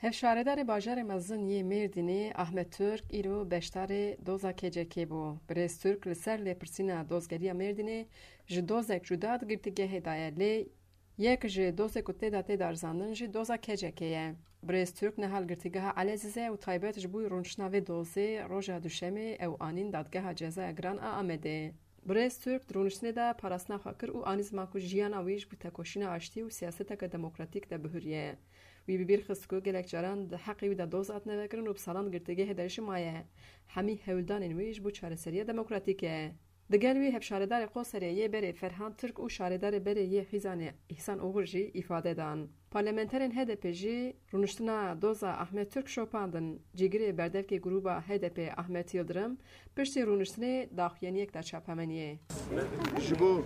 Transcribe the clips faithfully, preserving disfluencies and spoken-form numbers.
Hevşaredarê bajarê mezin yê Mêrdînê Ahmet Türk îro beşdarê doza K C K bû. Birêz Türk li ser lêpirsîna dozgeriya Mêrdînê ji dozek cuda di girtîgehê de ye, lê yek ji dozê ku tê de tê darizandin jî doza K C K ye. Birêz Türk niha li girtîgeha Elezîzê û taybet ji bo rûniştina vê dozê roja Duşemê ew anîn Dadgeha Cezaya Giran a Amedê. Birêz Türk di rûniştinê de parastina xwe kir û anî ziman ku jiyana wî ji bo tekoşîna aştî û siyaseteke demokratîk de bihuriye. Wî bi bîr xist ku gelek caran di heqê wî de doz hatine vekirin û bi salan di girtîgehê de jî maye. Hemî hewldanên wî ji bo çareseriya demokratîk e. Digel wî hevşaredarê Qoserê yê berê Ferhan Türk û şaredarê berê yê Xîzanê Îhsan Oxur jî îfade dan. Parlamenterên H D P jî rûniştina doza Ahmet Türk şopandin. Cîgirê berdevkê grûba H D P Ahmet Yildirim piştî rûniştinê daxuyaniyek da çapemeniyê. Ji bo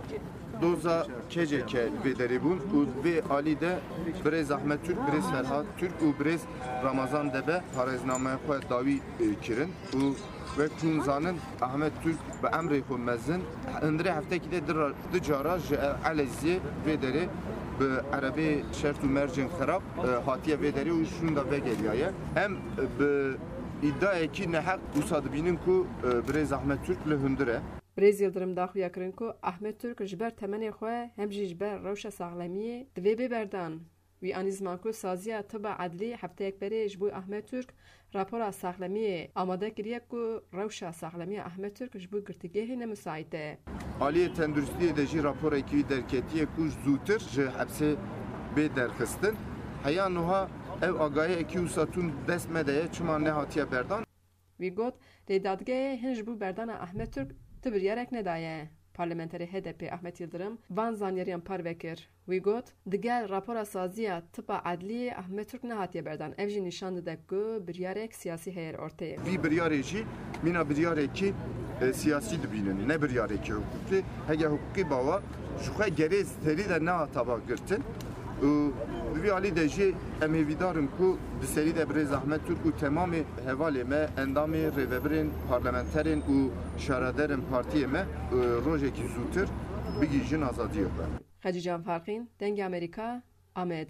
doza K C K vê derê bûn û vê alî de birêz Ahmet Türk, birêz Ferhat Türk û birêz Ramazan Debe parêznameya xwe dawî, e, kirin û wek hûn zanin Ahmet Türk bi emrê xwe mezin hundirê heftekî de du ra-, du cara ji Elezîzê vê derê bi erebeyê şert û mercên xerab, e, hatiye vê derê û şûnda vegeriyaye. Em bi îdiayekî neheq wisa dibînin ku, e, birêz Ahmet Türk li hundir e. Birêz Yildirim daxuya kirin ku Ahmet Türk ji ber temenê xwe hem jî ji ber rewşa saxlemiyê divê bê berdan. Wî anî ziman ku saziya tiba edlî hefteyak berê ji bo Ahmet Türk rapora saxlemiyê amade kiriye ku rewşa saxlemiya Ahmet Türk ji bo girtîgehê ne misaît e. Aliyê tenduristiyê de jî raporekî wî derketiye ku zûtir ji hepsê bê derxistin. Heya nuha ev agahiyekî wisa tund dest me de ye, çima nehatiye berdan? Wî got, lê dadgehê hin ji bo berdana Ahmet Türk ti biryarek nedaye. Parlamenterê H D P Ahmet Yildirim van zanyariyan parve kir. Wî got, digel rapora saziya tipa edliyê Ahmet Türk nehatiye berdan. Ev jî nîşan dide ku biryarek siyasî heye li orteyê. Vî biryarê jî mîna biryarekî, e, siyasî dibînin, ne biryarekî hiqûqî. Hege hiqûqî bawa ji xwe gerê serî de nehata va girtin. Û di vî alî de jî em hêvîdar in ku di serî de birêz Ahmet Türk û temamê hevalê me, endamê, rêvebirên, parlamenterên û şaredarên partiyê me, e, rojekî zûtir bigihîjin azadiyê xwe. Xecîcan Farqîn, Dengê Amerîka, Amed.